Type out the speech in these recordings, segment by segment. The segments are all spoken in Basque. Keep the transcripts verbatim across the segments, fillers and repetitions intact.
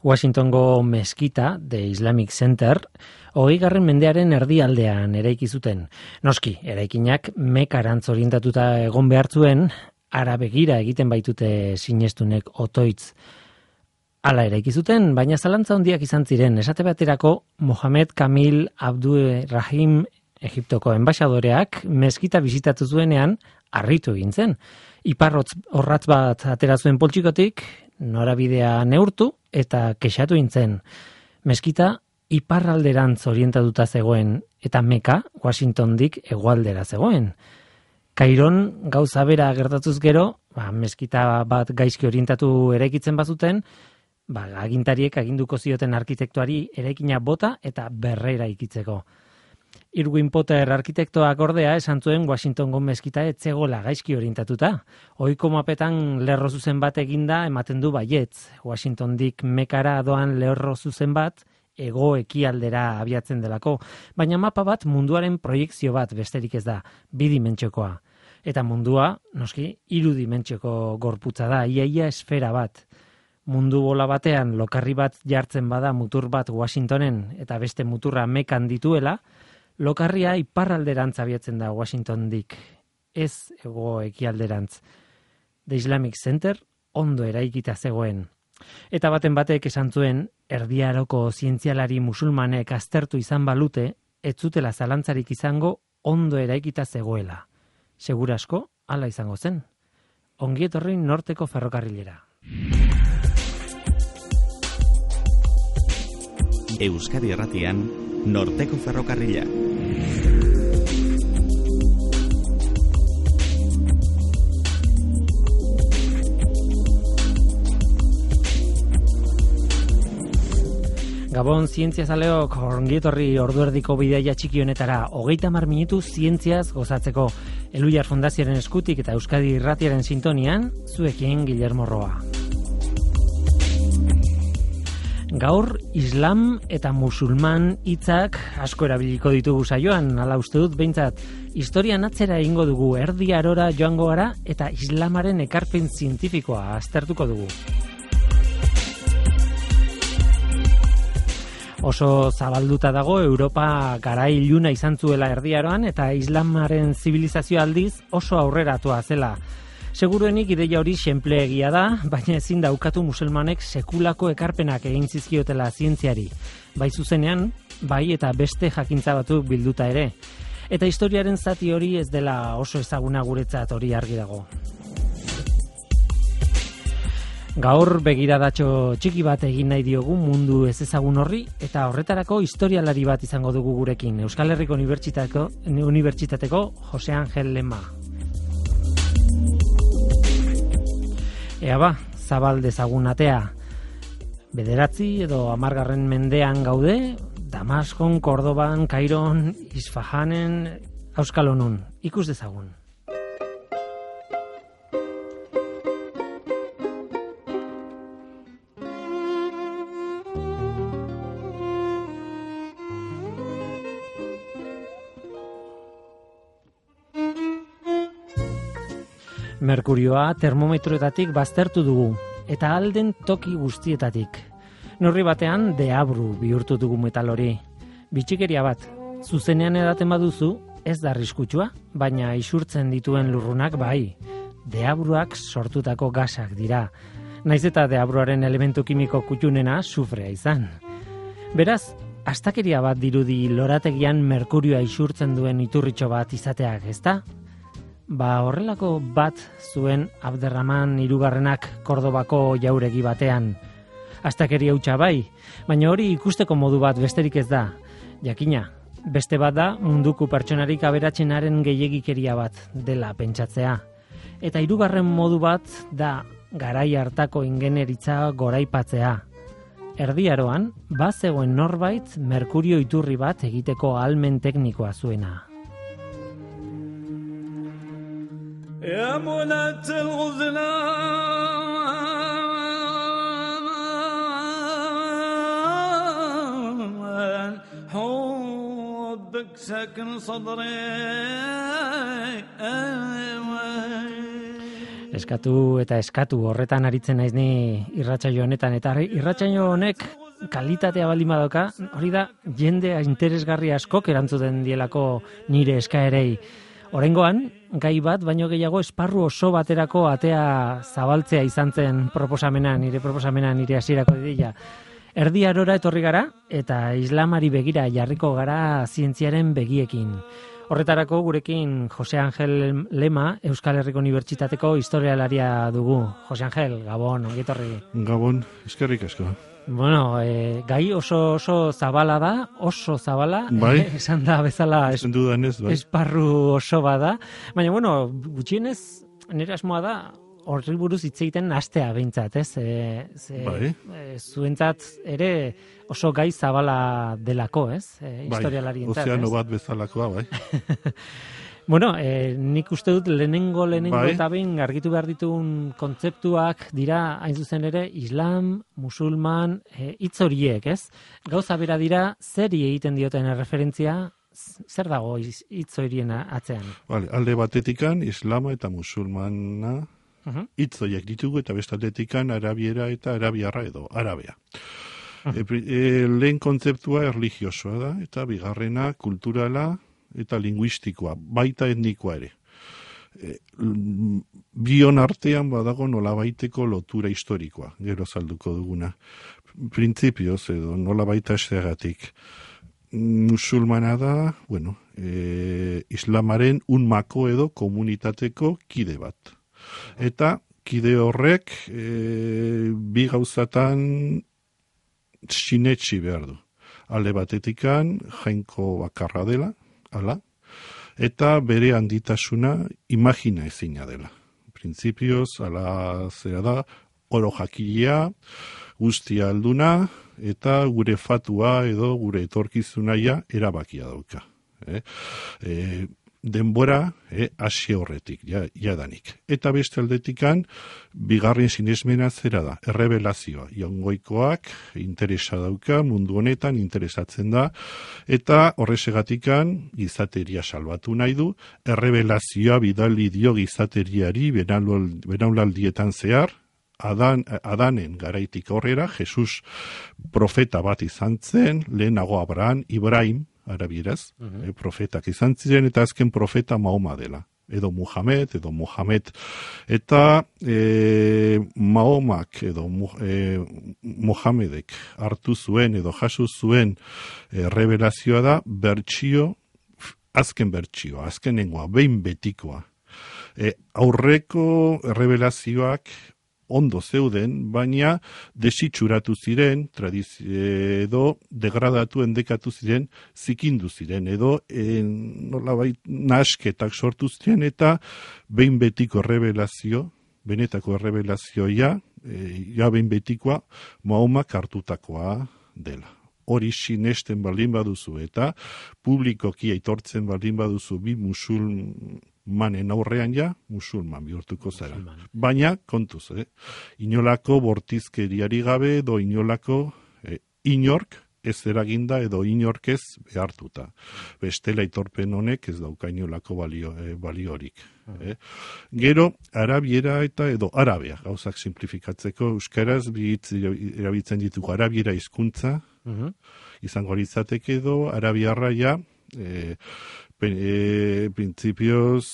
Washingtongo meskita, The Islamic Center, hogeigarren mendearen erdialdean eraiki zuten. Noski, eraikinak Mekarantz orientatuta egon behar zuen, ara begira egiten baitute sinestunek otoitz. Hala eraiki zuten, baina zalantza handiak izan ziren, esate baterako Mohamed Kamil Abdurrahim Egiptoko enbaxadoreak meskita bisitatu zuenean harritu egin zen. Iparrotz horratz bat atera zuen poltsikotik, norabidea neurtu eta kexatu intzen. Meskita iparralderantz orientatuta zegoen eta Meka, Washingtondik hegoaldera zegoen. Kairon gauza bera gertatuz gero, ba, meskita bat gaizki orientatu eraikitzen bazuten, ba, agintariek aginduko zioten arkitektuari eraikina bota eta berrera ikitzeko. Irwin Potter arkitektoak ordea esan zuen Washingtongo meskita ez zegoela gaizki orientatuta. Ohiko mapetan lerro zuzen bat eginda ematen du baietz. Washingtondik Mekara doan lerro zuzen bat hego ekialdera abiatzen delako, baina mapa bat munduaren proiekzio bat besterik ez da, bidimentxokoa. Eta mundua, noski, irudimentxoko gorputza da, iaia esfera bat. Mundu bola batean lokarri bat jartzen bada mutur bat Washingtonen eta beste muturra Mekan dituela, lokarria iparralderantz abiatzen da Washingtondik, ez hego ekialderantz. The Islamic Center ondo eraikita zegoen. Eta baten batek esan zuen, Erdi Aroko zientzialari musulmanek aztertu izan balute, ez zutela zalantzarik izango ondo eraikita zegoela. Segurasko, hala izango zen. Ongi etorri norteko ferrokarrilera. Euskadi Erratian, norteko ferrokarrila. Gabon zientziazaleok ongietorri orduerdiko bidaia txiki honetara, hogeita hamar minutu zientziaz gozatzeko. Elhuyar Fundazioaren eskutik eta Euskadi Irratiaren sintonian, zuekin Guillermo Roa. Gaur, Islam eta musulman hitzak asko erabiliko ditugu saioan, hala uste dut behintzat. Historian atzera egingo dugu, Erdi Arora joango gara eta Islamaren ekarpen zientifikoa aztertuko dugu. Oso zabalduta dago Europa garai iluna izan zuela Erdi Aroan eta Islamaren zibilizazio aldiz oso aurreratua zela. Seguruenik ideia hori xenpleegia da, baina ezin da ukatu musulmanek sekulako ekarpenak egin zizkiotela zientziari. Bai zuzenean, bai eta beste jakintza batzuk bilduta ere. Eta historiaren zati hori ez dela oso ezaguna guretzat hori argi dago. Gaur begiradatxo txiki bat egin nahi diogu mundu ez ezagun horri eta horretarako historialari bat izango dugu gurekin. Euskal Herriko Unibertsitateko, Unibertsitateko Jose Angel Lema. Ea ba, zabal dezagun atea. Bederatzi edo hamargarren mendean gaude, Damaskon, Kordoban, Kairon, Isfahanen, Euskalonun. Ikus dezagun. Merkurioa termometroetatik baztertu dugu, eta alden toki guztietatik. Neurri batean deabru bihurtu dugu metal hori. Bitxikeria bat, zuzenean edaten baduzu, ez da arriskutsua, baina isurtzen dituen lurrunak bai. Deabruak sortutako gasak dira. Naiz eta deabruaren elementu kimiko kutxunena sufrea izan. Beraz, astakeria bat dirudi lorategian merkurioa isurtzen duen iturritxo bat izateak, ezta? Ba horrelako bat zuen Abderraman hirugarrenak Kordobako jauregi batean. Astakeria hutsa bai, baina hori ikusteko modu bat besterik ez da. Jakina, beste bat da munduko pertsonarik aberatsenaren gehiegikeria bat dela pentsatzea. Eta hirugarren modu bat da garai hartako ingenieritza goraipatzea. Erdi Aroan, bazegoen norbait merkurio iturri bat egiteko ahalmen teknikoa zuena. يا منى الغزلان حبك سكن صدري Eskatu eta eskatu horretan aritzen naiz ni irratsaio honetan, eta irratsaio honek kalitatea baldin badoka, hori da jendea interesgarri askok erantzuten dielako nire eskaerei. Oraingoan, gai bat, baino gehiago esparru oso baterako atea zabaltzea izan zen proposamena, nire proposamena, nire hasierako ideia. Erdi Arora etorri gara eta islamari begira jarriko gara zientziaren begiekin. Horretarako gurekin Jose Angel Lema, Euskal Herriko Unibertsitateko historialaria dugu. Jose Angel, Gabon, ongi etorri. Gabon, eskerrik asko. Bueno, e, gai oso oso zabala da, oso zabala, bai. esan da bezala es, Dudanez, bai. esparru oso bada. Baina, bueno, gutxienez, nire asmoa da, horri buruz hitz egiten hastea behintzat, ez? E, ze, bai. e, zuentzat ere oso gai zabala delako, ez? E, historialarientzat, bai, ozeano ez? bat bezalakoa, bai. Bueno, eh, nik uste dut lehenengo, lehenengo bai. eta behin argitu behar ditugun kontzeptuak dira, hain zuzen ere, islam, musulman, eh, hitz horiek, ez? Gauza bera dira, zeri egiten dioten referentzia, zer dago hitz horien atzean? Vale, alde batetikan, islama eta musulmana hitz horiek ditugu, eta bestaletikan arabiera eta arabiarra edo arabea. E, e, lehen kontzeptua erlijiosoa da, eta bigarrena kulturala, eta linguistikoa, baita etnikoa ere. E, bion artean badago nolabaiteko lotura historikoa, gero salduko duguna. Printzipioz edo nolabaita eseagatik. Musulmana da, bueno, e, islamaren unmako edo komunitateko kide bat. Eta kide horrek e, bi gauzatan sinetsi behar du. Alde batetikan jainko bakarra dela, hala, eta bere handitasuna imagina ezina dela. Printzipioz, ala zera da, oro jakilea, guztia alduna, eta gure fatua edo gure etorkizunaia erabakia dauka. Eh? E, denbora eh, hasi horretik, ja, jadanik. Eta beste aldetikan, bigarren sinesmena zera da, errebelazioa. Jaungoikoak interesa dauka, mundu honetan interesatzen da, eta horrezegatikan gizateria salbatu nahi du, errebelazioa bidali dio gizateriari benaulaldietan zehar, Adan, Adanen garaitik horrera, Jesus profeta bat izan zen, lehenago Abraham, Ibrahim, arabieraz, uh-huh. eh, profetak izan ziren, eta azken profeta Mahoma dela. Edo Muhammad, edo Muhammad. Eta e, Mahomak edo e, Muhammedek hartu zuen edo jaso zuen e, revelazioa da bertsio, azken bertsioa, azkenengoa, behin betikoa. E, aurreko revelazioak ondo zeuden, baina desitxuratu ziren, tradizio edo degradatu endekatu ziren, zikindu ziren, edo en, nolabait nasketak sortu ziren, eta behin betiko revelazio, benetako revelazioa, e, ja behin betikoa, Mahomak hartutakoa dela. Hori sinesten baldin baduzu, eta publikoki aitortzen baldin baduzu bi musulman, manen aurrean ja, musulman bihurtuko zara. Musulman. Baina, kontuz, eh? Inolako bortizkeriari gabe, edo inolako eh, inork ez eraginda, edo inork ez behartuta. Bestela aitorpen honek ez dauka inolako balio, eh, baliorik. Eh? Gero, arabiera eta edo arabea, gauzak simplifikatzeko, euskaraz bitz erabiltzen ditugu arabiera hizkuntza, uh-huh. izango litzateke edo, arabiarra ja, eh, E, printzipioz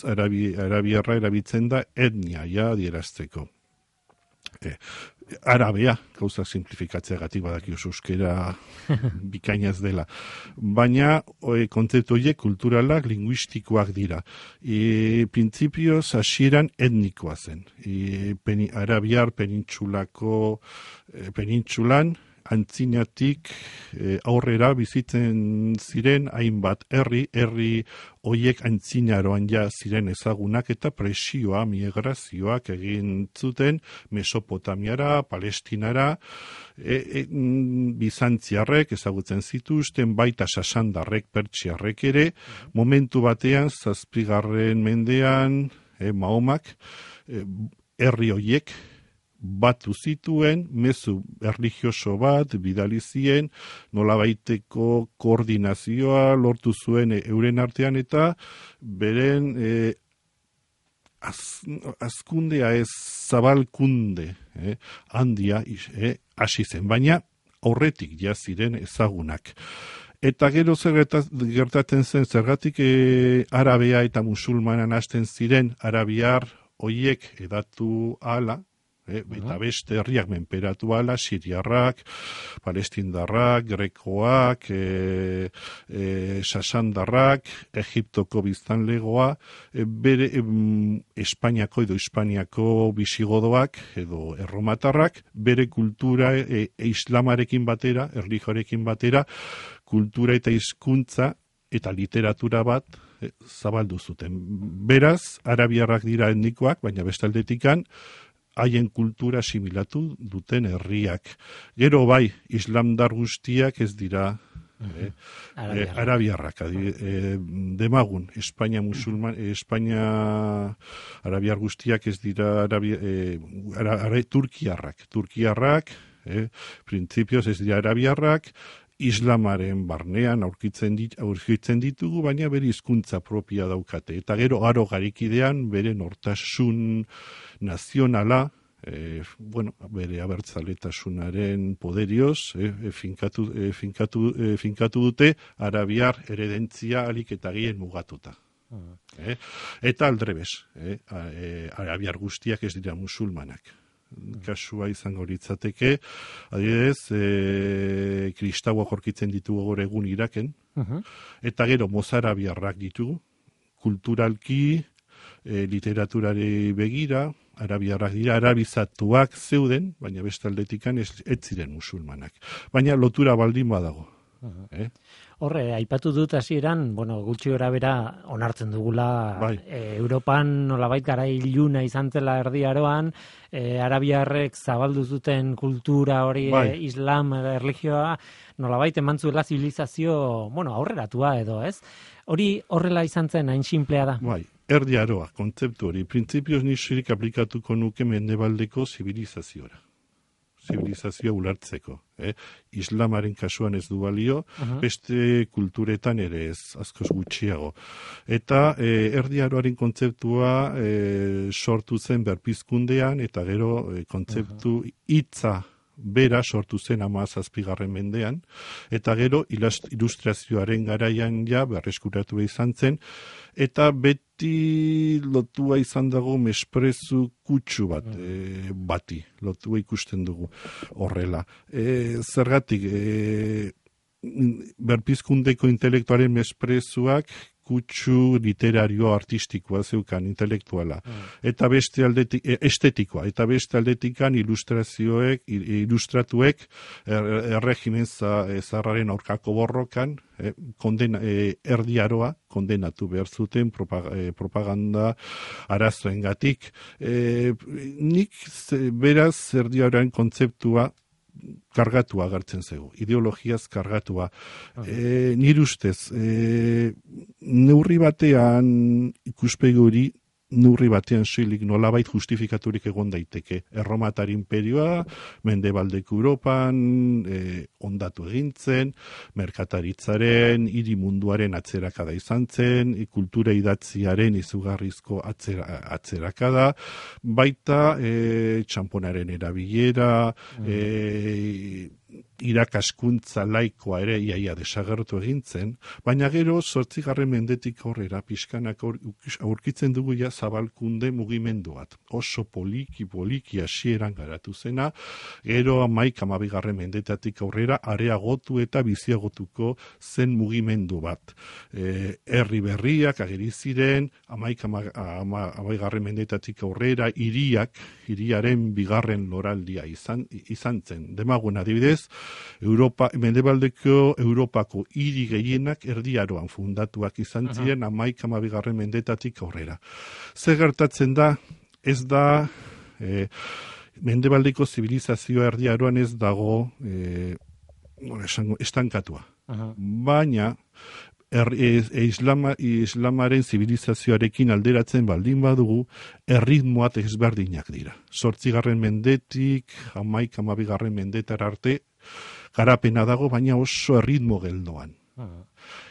arabi, arabiarra erabiltzen da etnia ja adierazteko. E, arabea, gauza simplifikatzeagatik badaki oso euskera bikainaz dela. Baina e, kontzeptu horiek kulturalak, linguistikoak dira. E, printzipioz hasieran etnikoa zen. E, peni, arabiar penintsulako e, penintsulan antzinatik e, aurrera bizitzen ziren hainbat herri, herri hoiek antzinaroan ja ziren ezagunak eta presioa, migrazioak egin zuten Mesopotamiara, Palestinara, e, e, Bizantziarrek ezagutzen zituzten, baita sasandarrek, pertsiarrek ere, momentu batean, zazpigarren mendean, e, Mahomak, e, herri hoiek, batu zituen, mezu erlijioso bat, bidalizien, nolabaiteko koordinazioa lortu zuen euren artean, eta beren e, az, azkundea ez zabalkunde eh, handia eh, hasi zen, baina aurretik ja ziren ezagunak. Eta gero zer gertatzen zen, zergatik e, arabea eta musulmanan hasten ziren, arabiar hoiek edatu ala, e, eta beste herriak menperatu ala, siriarrak, palestindarrak, grekoak, e, e, sasandarrak, Egiptoko biztanlegoa, e, bere e, Espainiako edo Hispaniako bisigodoak edo erromatarrak, bere kultura e, e, islamarekin batera, erlijioarekin batera, kultura eta hizkuntza eta literatura bat e, zabaldu zuten. Beraz, arabiarrak dira etnikoak, baina bestaldetikan haien kultura asimilatu duten herriak. Gero bai, islamdar guztiak ez dira eh, eh, arabiarrak. Eh, demagun, Espainia musulman, eh, Espainia arabiar guztiak ez dira arabia, eh, ara, ara, turkiarrak. Turkiarrak, eh, printzipioz ez dira arabiarrak, islamaren barnean aurkitzen, dit, aurkitzen ditugu, baina bere hizkuntza propia daukate. Eta gero aro garikidean bere nortasun nazionala, e, bueno, bere abertzaletasunaren poderioz, e, e, finkatu, e, finkatu, e, finkatu dute arabiar eredentzia alik eta gien mugatuta. Uh-huh. E, eta aldrebes, e, e, arabiar guztiak ez dira musulmanak. Kasua izango litzateke, adibidez, e, kristauak aurkitzen ditugu gaur egun Iraken, uh-huh. eta gero mozarabiarrak ditugu, kulturalki, e, literaturari begira, arabiarrak dira, arabizatuak zeuden, baina beste aldetikan ez, ez ziren musulmanak. Baina lotura baldin badago. Uh-huh. Eh? Horre, aipatu dut hasieran, bueno, gutxi gora bera onartzen dugula bai. e, Europan nolabait garai iluna izan zela Erdi Aroan, e, arabiarrek zabaldu zuten kultura hori, bai. e, islam, erlijioa, nolabait eman zuela zibilizazio, bueno, aurreratua edo, ez? Hori horrela izan zen, hain simplea da? Bai, Erdi Aroa, kontzeptu hori, printzipioz nixerik aplikatuko nuke mendebaldeko zibilizaziora. Zibilizazioa ulertzeko. Eh? Islamaren kasuan ez du balio, uh-huh. beste kulturetan ere ez, askoz gutxiago. Eta eh, Erdi Aroaren kontzeptua eh, sortu zen berpizkundean, eta gero eh, kontzeptu hitza uh-huh. bera sortu zen hamazazpigarren mendean, eta gero ilustrazioaren garaian ja berreskuratu izan zen, eta beti lotua izan dago mesprezu kutsu bat, e, bati, lotua ikusten dugu horrela. E, zergatik, e, berpizkundeko intelektuaren mesprezuak kutsu literario artistikoa zeukan, intelektuala. Mm. Eta beste aldetik, estetikoa, eta beste aldetikan ilustrazioek, ilustratuek er, erregimen zarraren aurkako borrokan, eh, kondena, eh, Erdi Aroa kondenatu behar zuten propaganda arazoengatik. Eh, nik beraz Erdi Aroaren kontzeptua kargatua agertzen zego, ideologiaz kargatua. Okay. E, nire ustez, e, neurri batean ikuspegi hori, neurri batean soilik nolabait justifikaturik egon daiteke. Erromatar imperioa, mendebaldeko Europan, e, ondatu egintzen, merkataritzaren, hiri munduaren atzerakada izan zen, kultura idatziaren izugarrizko atzera, atzerakada, baita e, txamponaren erabilera, mm. e, irakaskuntza laikoa ere iaia desagertu egintzen, baina gero zortzigarren mendetik aurrera pixkanak aurkitzen dugu ja zabalkunde mugimendu bat. Oso poliki, poliki hasieran garatu zena, gero amaik amabigarren mendetatik aurrera areagotu eta biziagotuko zen mugimendu bat. E, herri berriak ageri ziren, amaik amabigarren mendetatik aurrera hiriak, hiriaren bigarren loraldia izan, izan zen. Demagun adibidez, Europa, mendebaldeko Europako hiri gehienak Erdi Aroan fundatuak izan ziren hamaika hamabigarren mendetatik aurrera. Zer gertatzen da, ez da, e, mendebaldeko zibilizazioa Erdi Aroan ez dago e, estankatua. Aha. Baina, Er, e, e, islama, islamaren zibilizazioarekin alderatzen baldin badugu, erritmoat ezberdinak dira. Zortzigarren mendetik, hamaik hamabigarren mendetara arte, garapena dago, baina oso erritmo geldoan. Uh-huh.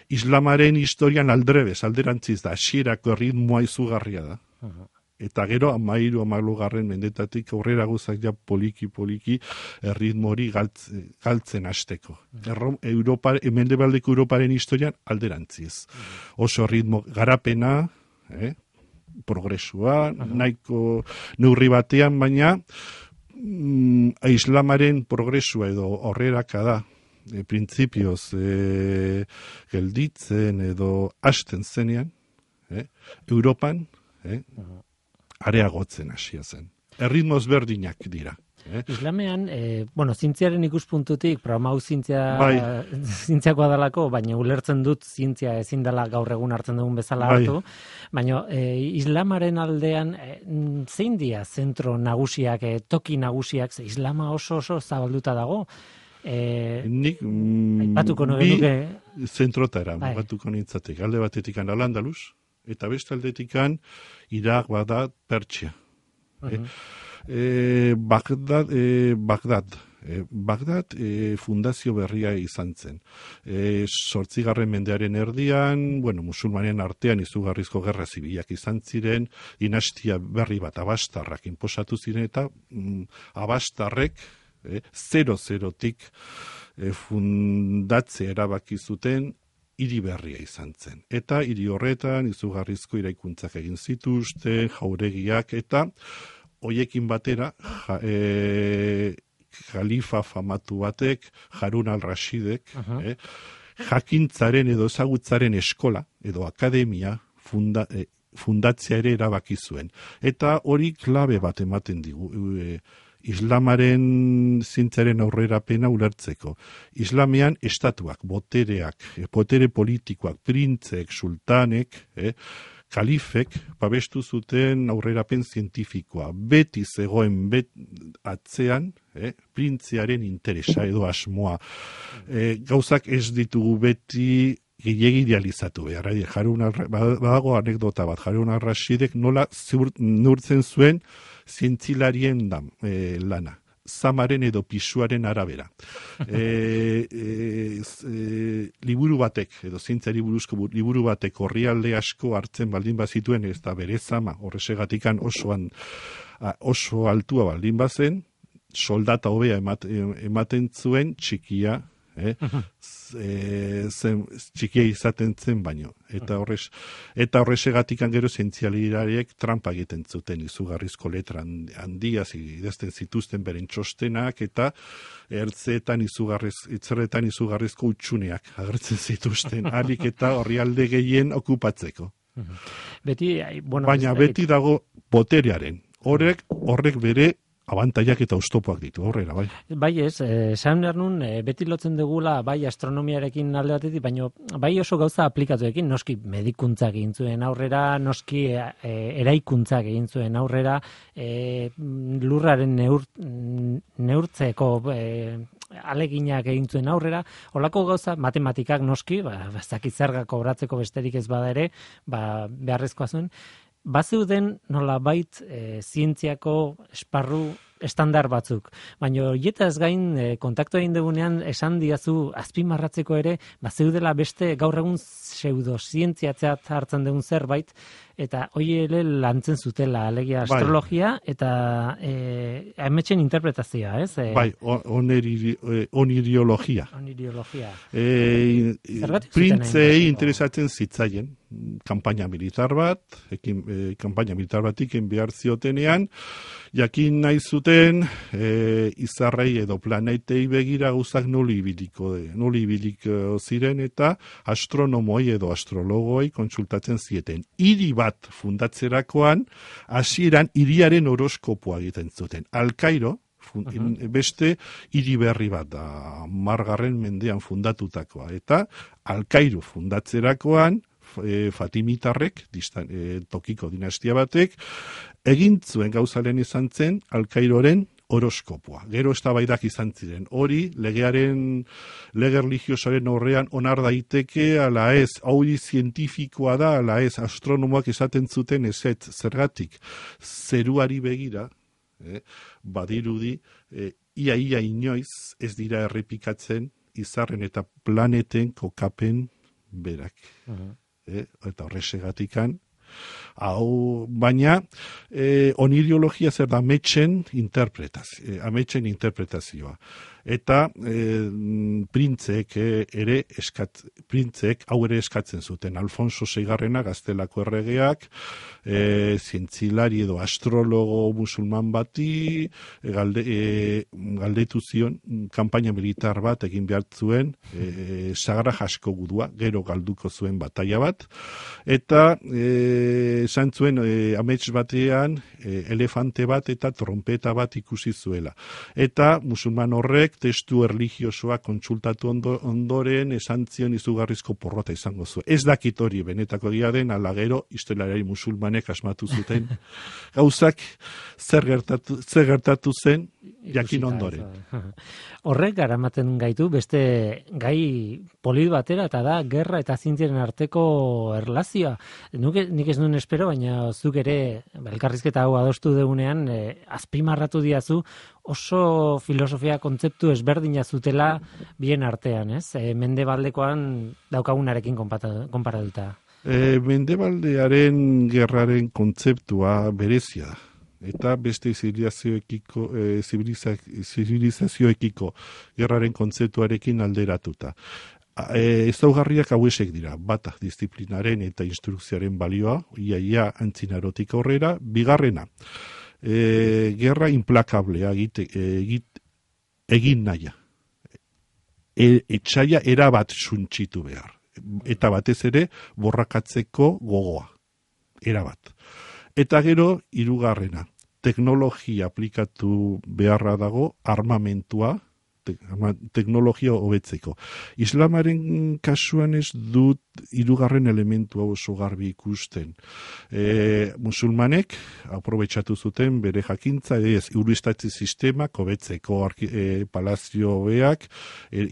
Islamaren historian aldrebez, alderantziz da, hasierako erritmoa izugarria da. Uh-huh. Eta gero, amairu, amalugarren mendetatik aurrera guzak ja poliki-poliki erritmo hori galtzen, galtzen hasteko. Erro, Europa, mendebaldeko Europaren historian alderantziz. Oso ritmo garapena, eh? progresua, nahiko neurri batean, baina mm, islamaren progresua edo horreraka da, e, printzipioz e, gelditzen edo hasten zenean, eh? Europan eh? areagotzen hasia zen. Erritmoz berdinak dira. Eh? Islamean, eh, bueno, zientziaren ikuspuntutik, programa hau zientzia, bai. zientziakoa dalako, baina ulertzen dut zientzia ezin dela gaur egun hartzen dugun bezala bai. hartu, baina eh, islamaren aldean eh, zein dia zentro nagusiak, eh, toki nagusiak, ze islama oso oso zabalduta dago, eh, Nik mm, aipatuko bi nuke zentrotara bai. mugatuko nintzatek. Alde batetikan Al-Andalus, eta beste aldetikan Irak, Bagdad, Pertsia. Uh-huh. eh? E, Bagdad, e, Bagdad, e, Bagdad e, fundazio berria izan zen. E, Zortzigarren mendearen erdian, bueno, musulmanen artean izugarrizko gerra zibilak izan ziren, dinastia berri bat abastarrak inposatu ziren, eta mm, abastarrek e, zero-zerotik e, fundatze erabaki zuten hiri berria izan zen. Eta hiri horretan izugarrizko iraikuntzak egin zituzten, jauregiak, eta hoiekin batera, ja, e, jalifa famatu batek, Harun al-Rashidek, uh-huh. eh, jakintzaren edo ezagutzaren eskola, edo akademia funda, e, fundatzea ere erabaki zuen. Eta hori klabe bat ematen digu, e, islamaren zintzaren aurrerapena ulertzeko. Islamean estatuak, botereak, e, botere politikoak, printzek, sultanek, eh, kalifek babestu zuten aurrerapen zientifikoa. Beti zegoen bet atzean, eh, printziaren interesa edo asmoa. Eh, gauzak ez ditugu beti gehiegi idealizatu behar. Harun badago anekdota bat, Harun al-Rashidek nola neurtzen zuen zientzilarien da, eh, lana. Zamaren edo pisuaren arabera. E, e, e, liburu batek, edo zientziari buruzko liburu batek orrialde asko hartzen baldin bazituen, ez da bere zama, horrezegatikan osoan, oso altua baldin bazen, soldata hobea ematen zuen txikia, eh? e, zen, txikia izaten zen baino. Eta horrez, eta horrezegatikan gero zientzialariek trampa egiten zuten izugarrizko letra handia, idazten zituzten beren txostenak, eta ertzeetan izugarriz, itzerretan izugarrizko utxuneak agertzen zituzten, alik eta horrialde gehien okupatzeko. Beti, bueno, baina beti dago boterearen. Horrek, horrek bere abantaiak eta oztopoak ditu, horrela, bai. Bai ez, esan behar nun, beti lotzen dugula, bai astronomiarekin alde batetik, baina bai oso gauza aplikatuekin, noski medikuntzak egin zuen aurrera, noski e, eraikuntzak egin zuen aurrera, e, lurraren neur, neurtzeko e, aleginak egin zuen aurrera, holako gauza, matematikak noski, ba, zakizergak kobratzeko besterik ez bada ere, ba, beharrezkoa zuen, bazeuden nolabait e, zientziako esparru estandar batzuk. Baina horietaz gain e, kontaktu egin dugunean esan diazu azpimarratzeko ere, bazeudela beste gaur egun pseudozientziatzat hartzen dugun zerbait, eta hori ere lantzen zutela, alegia astrologia, bai. Eta e, ametxen interpretazioa, ez? E, bai, oniri, oniriologia. Oniriologia. E, Printzei interesatzen zitzaien, kanpaina militar bat, ekin, e, kanpaina militar bat iken behar ziotenean, jakin nahi zuten e, izarrei edo planetei begira gauzak noli ibiliko, noli ibiliko ziren, eta astronomoi edo astrologoi kontsultatzen zieten. Hiri bat fundatzerakoan, hasieran hiriaren horoskopoa egiten zuten. Al-Kairo, uh-huh. beste hiri berri bat da, margarren mendean fundatutakoa. Eta Al-Kairo fundatzerakoan, e, Fatimitarrek, distan, e, tokiko dinastia batek, egin zuen gauzalen izan zen Al-Kairoren horoskopoa. Gero eztabaidak izan ziren. Hori, legearen, lege religiosoaren horrean onar daiteke, ala ez, hori zientifikoa da, ala ez, astronomoak esaten zuten ezetz, zergatik, zeruari begira, eh, badirudi, eh, ia ia inoiz ez dira errepikatzen izarren eta planeten kokapen berak. Uh-huh. eh, eta horrexegatikan, Hau, baina, e, onideologia zer da ametsen interpretazio, e, ametsen interpretazioa. Eta e, printzek ere eskat, printzek hau ere eskatzen zuten. Alfonso seigarrena gaztelako erregeak, e, zientzilari edo astrologo musulman bati e, galde, e, galdetu zion kanpaina militar bat egin behar zuen, e, sagra jasko gudua, gero galduko zuen bataia bat, eta e, esan zuen e, amets batean e, elefante bat eta trompeta bat ikusi zuela. Eta musulman horrek testu erligiosoa kontsultatu ondo, ondoren esan zion izugarrizko porrota izango zuen. Ez dakit hori benetako egia den, ala gero historialari musulmanek asmatu zuten gauzak zer gertatu, zer gertatu zen jakin ondoren. Horrek garamaten gaitu beste gai polit batera, eta da gerra eta zientziaren arteko erlazioa. Nuke, nik ez nuen espero, baina zuk ere elkarrizketa hau adostu deunean e, azpimarratu diazu oso filosofia kontzeptu ezberdina zutela bien artean, ez? E, Mendebaldekoan daukagunarekin konparatuta. E, Mendebaldearen gerraren kontzeptua berezia da. Eta beste zibilizazioekiko, e, zibilizazioekiko gerraren kontzeptuarekin alderatuta. E, ezaugarriak hauesek dira, bata disiplinaren eta instrukzioaren balioa, ia ia antzinarotik aurrera, bigarrena, e, gerra implakablea egite, egit, egin naia. E, etxaia erabat suntxitu behar. Eta batez ere borrakatzeko gogoa. Erabat. Eta gero, hirugarrena, teknologia aplikatu beharra dago, armamentua, te, teknologia hobetzeko. Islamaren kasuan ez dut hirugarren elementua oso garbi ikusten. E, musulmanek aprobetxatu zuten bere jakintza, ez, urustatze sistemak hobetzeko, e, palazio hobeak, e,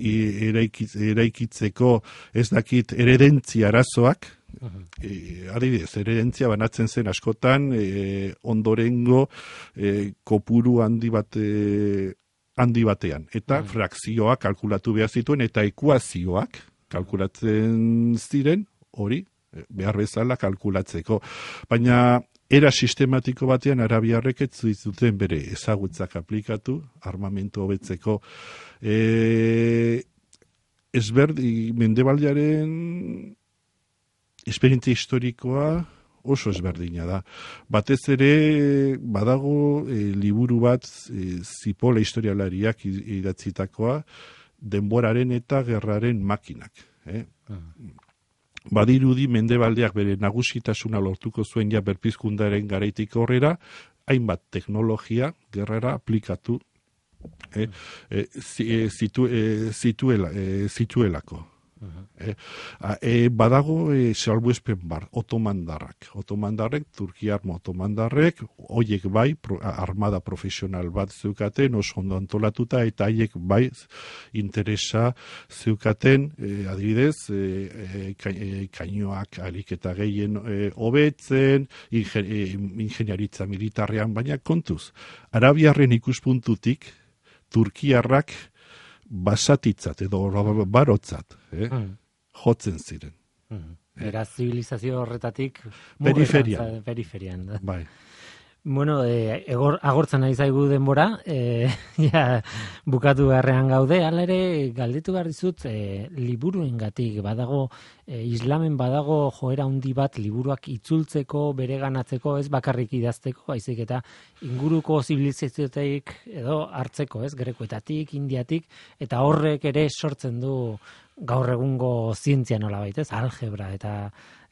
eraikitz, eraikitzeko ez dakit eredentzia arazoak, E, adibidez, eredentzia banatzen zen askotan e, ondorengo e, kopuru handi bat e, handi batean eta mm. frakzioak kalkulatu behar zituen eta ekuazioak kalkulatzen ziren hori e, behar bezala kalkulatzeko, baina era sistematiko batean arabiarrek ez zuten bere ezagutzak aplikatu armamentu hobetzeko. e, ezberdi Mendebaldearen esperientzia historikoa oso ezberdina da. Batez ere badago e, liburu bat e, Zipola historialariak idatzitakoa denboraren eta gerraren makinak. Eh? Uh-huh. Badirudi Mendebaldeak bere nagusitasuna lortuko zuen ja berpizkundaren garaitik aurrera, hainbat teknologia gerrara aplikatu eh, eh, zitu, eh, zituela, eh, zituelako. Uh-huh. E, e, badago e, salbuespen bar, otomandarrak. Otomandarrek, Turkiar otomandarrek, hoiek bai, pro, armada profesional bat zeukaten, oso ondo antolatuta, eta haiek bai interesa zeukaten, e, adibidez, e, e, kainoak alik eta gehien hobetzen, e, ingen, e, ingeniaritza militarrean, baina kontuz. Arabiarren ikuspuntutik, Turkiarrak basatitzat edo barotzat, eh? mm. jotzen ziren. Mm. Era zibilizazio horretatik periferian. periferian da. Bai. Bueno, eh, egor, agortzen ari zaigu denbora, eh, ja, bukatu beharrean gaude, hala ere galdetu behar dizut, eh, liburuengatik badago, eh, islamen badago joera handi bat liburuak itzultzeko, bereganatzeko, ez bakarrik idazteko, baizik eta inguruko zibilizazioetaik edo hartzeko, ez, grekoetatik, indiatik, eta horrek ere sortzen du gaur egungo zientzia nolabait, ez, algebra eta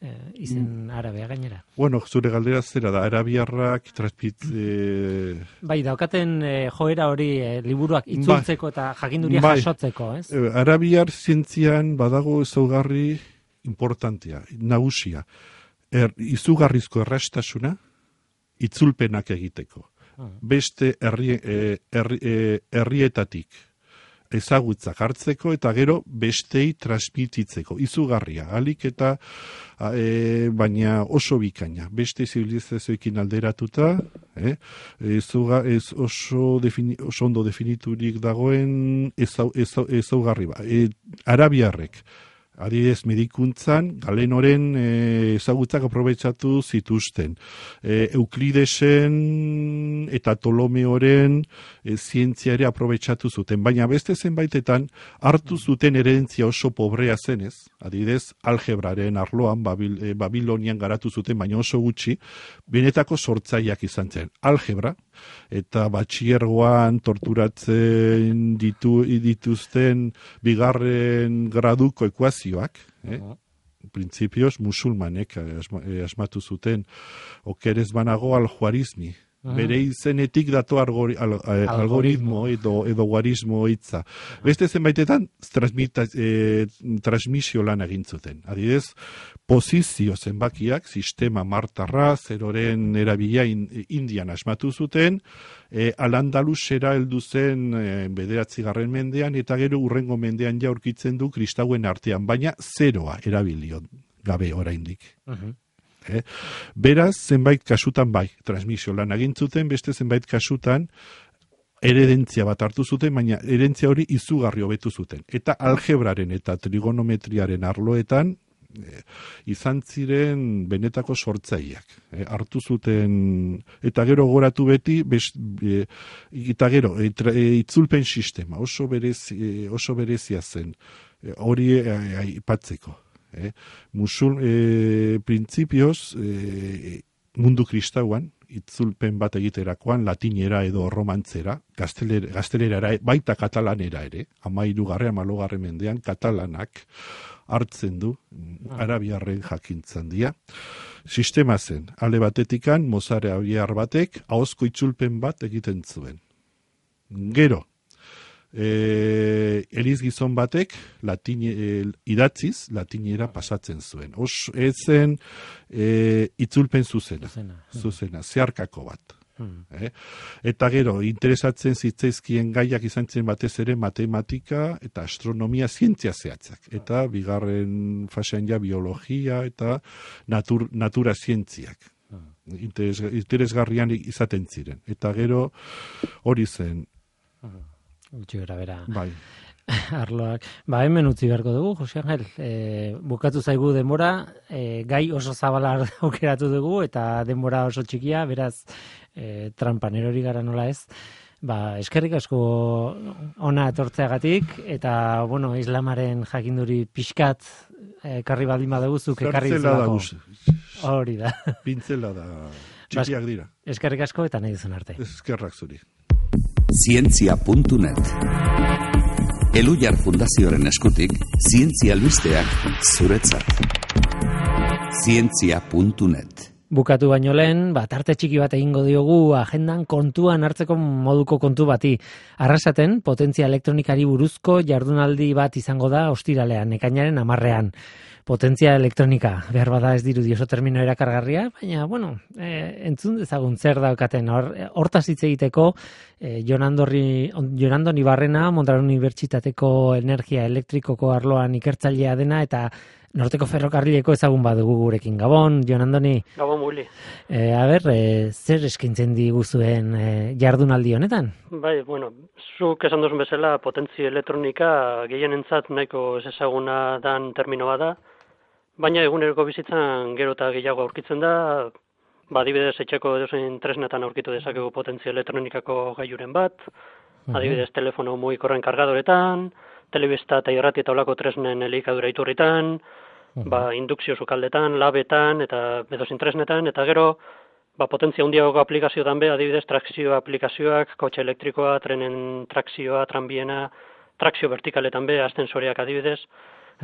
Eh, izen arabea gainera. Bueno, zure galdera zera da, arabiarrak transpit... Eh... Bai, daukaten eh, joera hori eh, liburuak itzultzeko ba, eta jakinduria bai, jasotzeko, ez? Eh, arabiar zientzian badago ezaugarri importantea, nagusia. Er, izugarrizko errastasuna, itzulpenak egiteko. Hmm. Beste herri, eh, herri, eh, herrietatik ezagutzak hartzeko eta gero bestei transmititzeko, izugarria, alik eta e, baina oso bikaina, beste zibilizazioekin alderatuta, eh? Ezuga, ez oso, defini, oso ondo definiturik dagoen ezau, ezau, ezaugarri ba. E, arabiarrek Adibidez, medikuntzan, galenoren e, ezagutzak aprobetsatu zituzten. E, Euklidesen eta Ptolomeoren e, zientzia ere aprobetsatu zuten. Baina beste zenbaitetan hartu zuten herentzia oso pobrea zenez. Adibidez, algebraren arloan, Babil, e, Babilonian garatu zuten, baina oso gutxi, benetako sortzaileak izan zen. Algebra, eta batxiergoan torturatzen ditu, dituzten bigarren graduko ekuazioak, eh? Uh-huh. Printzipioz musulmanek asmatu zuten, okerez banago aljuarizmi. Uh-huh. Bere izenetik dato algori, al, al, algoritmo edo, edo guarismo hitza. Uh-huh. Beste zenbaitetan eh, transmisio lan egin zuten. Adidez, posizio zenbakiak, sistema martarra, zeroren erabila in, indian asmatu zuten, e, Al-Andalusera heldu zen e, bederatzigarren mendean, eta gero urrengo mendean ja aurkitzen du kristauen artean, baina zeroa erabilion gabe oraindik. Uh-huh. Eh? Beraz, zenbait kasutan bai, transmisio lan egin zuten, beste zenbait kasutan heredentzia bat hartu zuten, baina herentzia hori izugarri hobetu zuten. Eta algebraren eta trigonometriaren arloetan eh, izan ziren benetako sortzaileak. Eh, hartu zuten, eta gero goratu beti, best, eh, eta gero, eh, tra, eh, itzulpen sistema, oso, berez, eh, oso berezia zen, eh, hori aipatzeko. Eh, Eh, musul, eh, printzipioz, eh, mundu kristauan, itzulpen bat egiterakoan, latinera edo romantzera, gaztelera, gaztelerara, baita katalanera ere, amairugarre, amalogarre mendean, katalanak hartzen du, arabiarren jakintzan dira. Sistema zen, alde batetikan, mozare abiar batek, ahozko itzulpen bat egiten zuen. Gero, E, eliz gizon batek latine, e, idatziz latinera pasatzen zuen. Os, ezen e, itzulpen zuzena, zuzena, zuzena zeharkako bat. Hmm. Eh? Eta gero, interesatzen zitzaizkien gaiak izan zen batez ere matematika eta astronomia zientzia zehatzak. Eta bigarren fasean ja biologia eta natur, natura zientziak. Interes, interesgarrian izaten ziren. Eta gero, hori zen, hmm. Gutxi gara bera. Bai. Arloak. Ba, hemen utzi beharko dugu, Jose Angel. E, bukatu zaigu denbora, e, gai oso zabala aukeratu dugu, eta denbora oso txikia, beraz, e, trampan erori gara nola ez. Ba, eskerrik asko ona etortzeagatik, eta, bueno, islamaren jakinduri pixkat, ekarri baldin badugu, zuk ekarri zelako. Hori da. Pintzela da. Txikiak dira. Eskerrik asko, eta nahi duzun arte. Eskerrak zuri. Zientzia puntu net. Elujar Fundazioaren eskutik, zientzia albisteak zuretzat. Zientzia puntu net. Bukatu baino lehen, bat arte txiki bat egingo diogu agendan kontuan hartzeko moduko kontu bati. Arrasaten, potentzia elektronikari buruzko jardunaldi bat izango da ostiralean, ekainaren hamarrean. Potentzia elektronika, behar bada ez dirudi oso termino erakargarria, baina, bueno, e, entzun dezagun zer daukaten. Hortaz hitz egiteko, e, Jon Andoni Barrena, Mondragon Unibertsitateko energia elektrikoko arloan ikertzailea dena, eta Norteko Ferrokarrileko ezagun badugu gurekin. Gabon, Jon Andoni. Gabon, Muli. E, a ber, e, zer eskaintzen diguzuen e, jardunaldi honetan? Bai, bueno, zuk esan duzun bezala, potentzia elektronika gehienentzat nahiko ez ezaguna dan termino bada, baina eguneroko bizitzan gero eta gehiago aurkitzen da, ba, adibidez etxeko edozein tresnetan aurkitu dezakegu potentzia elektronikako gailuren bat, uh-huh. Adibidez telefono mugikorren kargadoretan, telebista eta irrati eta olako tresnen elikadura iturritan, uh-huh. ba, indukzio sukaldetan, labetan eta edozein tresnetan, eta gero ba, potentzia handiago aplikazioetan be, adibidez trakzio aplikazioak, kotxe elektrikoa, trenen trakzioa, tranbiena, trakzio vertikaletan be, ascensoreak adibidez,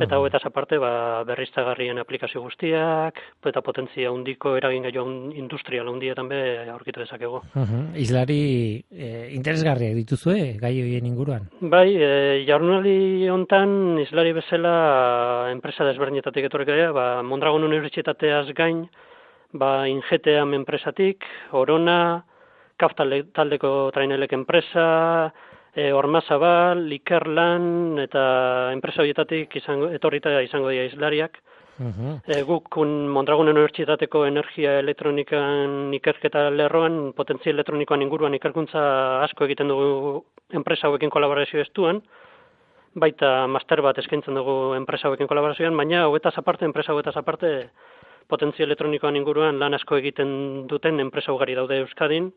eta uh-huh. Hauetaz aparte, ba, berriztagarrien aplikazio guztiak, eta potentzia handiko eragin gaio industrial handietan be aurkitu dezakegu. Uh-huh. Islari eh, interesgarriak dituzue gai horien inguruan? Bai, e, jardunaldi hontan islari bezala enpresa desberdinetatik etorriko dira, ba, Mondragon Unibertsitateaz gain, ba, Ingeteam enpresatik, Orona, Kaf taldeko trainelek enpresa, E, Ormazabal, Ikerlan eta enpresa horietatik izango, etorrita izango dira islariak. Uh-huh. E, guk Mondragon Unibertsitateko energia elektronikan ikerketa lerroan, potentzia elektronikoan inguruan ikerkuntza asko egiten dugu enpresa hauekin kolaborazio estuan, baita master bat eskaintzen dugu enpresa hauekin kolaborazioan, baina hauetaz aparte, enpresa hauetaz aparte, potentzia elektronikoan inguruan lan asko egiten duten enpresa ugari daude Euskadin,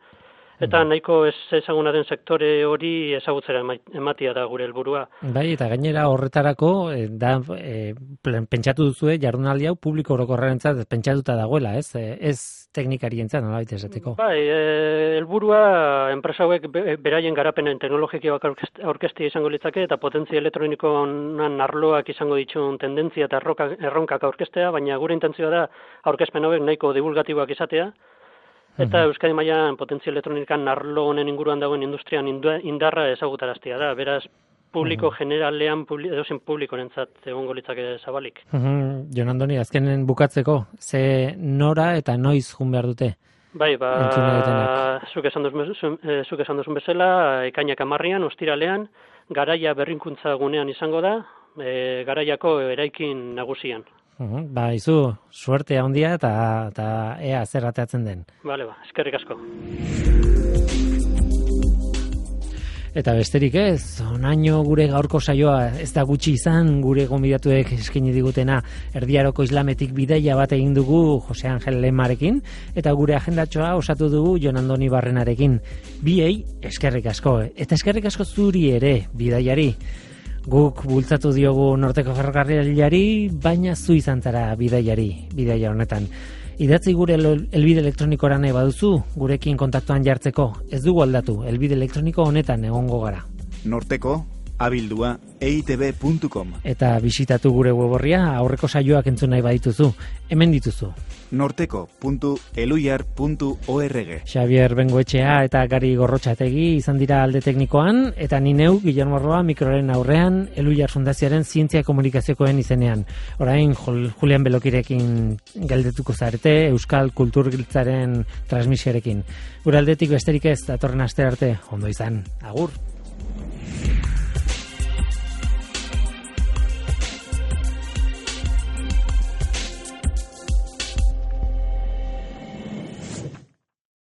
eta nahiko ez ezaguna den sektore hori ezagutzera ematia da gure helburua. Bai, eta gainera horretarako e, da e, pentsatu duzue jardunaldi hau publiko orokorrarentzat pentsatuta dagoela, ez? E, ez teknikarientzat nolabait esateko. Bai, e, helburua enpresa hauek be, beraien garapenen teknologikoak aurkeztea izango litzake eta potentzia elektronikoan arloak izango dituen tendentzia eta erroka, erronkak aurkeztea, baina gure intentzioa da aurkezpen hauek nahiko divulgatiboak izatea. Eta Euskadi mailan potentzia elektronikan arlo honen inguruan dagoen industrian indarra ezagutaraztea da. Beraz, publiko uh-huh. generalean, publi, edozen publikorentzat egongo litzake zabalik. Uh-huh. Jon Andoni, azkenen bukatzeko, ze nora eta noiz jun behar dute? Bai, ba, zuk esan duzun, zuk esan duzun bezala, ekainak amarrian, ostiralean, garaia berrinkuntza gunean izango da, e, garaiako eraikin nagusian. Uhum, ba, izu, suerte handia eta, eta ea zer ateatzen den. Bale, ba, eskerrik asko. Eta besterik ez, onaino gure gaurko saioa ez da gutxi izan, gure gonbidatuek eskaini digutena Erdiaroko Islametik bidaia bat egin dugu Jose Angel Lemarekin, eta gure agendatxoa osatu dugu Jon Andoni Barrenarekin. Biei eskerrik asko, eta eskerrik asko zuri ere, bidaiari. Guk bultzatu diogu Norteko Ferrokarrilari, baina zu izan zara bidaiari, bidaia honetan. Idatzi gure helbide elektroniko nahi baduzu, gurekin kontaktuan jartzeko. Ez dugu aldatu, helbide elektroniko honetan egongo gara. Norteko, abildua, e i te be puntu com. Eta bisitatu gure weborria, aurreko saioak entzun nahi badituzu. Hemen dituzu. norteko puntu eluiar puntu org. Xabier Bengoetxea eta Gari Gorrotxategi izan dira alde teknikoan, eta ni neu, Guillermo Roa, mikroren aurrean, Eluiar Fundazioaren zientzia komunikaziokoen izenean. Orain, Julian Belokirekin geldetuko zarete, Euskal Kulturgiltzaren transmisioarekin. Gure aldetik besterik ez, datorren aste arte, ondo izan, agur!